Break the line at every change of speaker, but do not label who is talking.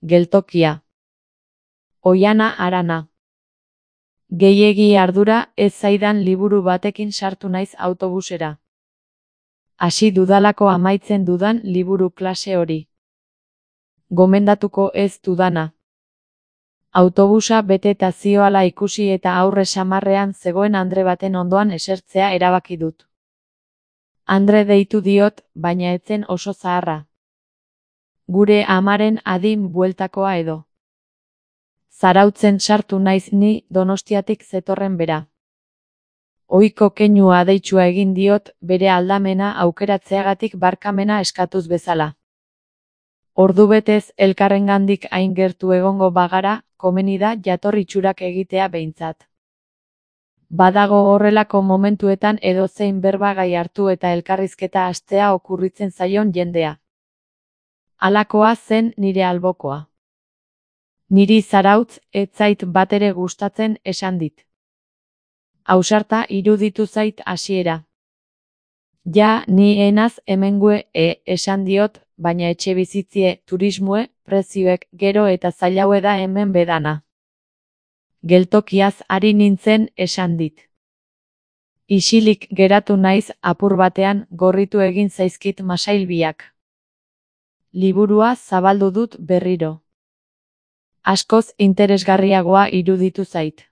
Geltokia. Oihana Arana. Gehiegi ardura ez zaidan liburu batekin sartu naiz autobusera. Hasi dudalako amaitzen dudan liburu klase hori. Gomendatuko ez dudana. Autobusa bete eta zioala ikusi eta aurre samarrean zegoen andre baten ondoan esertzea erabaki dut. Andre deitu diot, baina ez zen oso zaharra. Gure amaren adin bueltakoa edo. Zarautzen sartu naiz ni Donostiatik zetorren bera. Ohiko keinua deitsua egin diot bere aldamena aukeratzeagatik barkamena eskatuz bezala. Ordubetez elkarrengandik hain gertu egongo bagara, komeni da jatorri itxurak egitea behintzat. Badago horrelako momentuetan edozein berbagai hartu eta elkarrizketa hastea okurritzen zaion jendea. Halakoa zen nire albokoa. Niri Zarautz ez zait batere gustatzen esan dit. Ausarta iruditu zait hasiera. Ja, ni enaz hemengue esan diot, baina etxebizitzie, turismoe, prezioek, gero eta zailaue da hemen bedana. Geltokiaz ari nintzen esan dit. Isilik geratu naiz apur batean gorritu egin zaizkit masailbiak. Liburua zabaldu dut berriro. Askoz interesgarriagoa iruditu zait.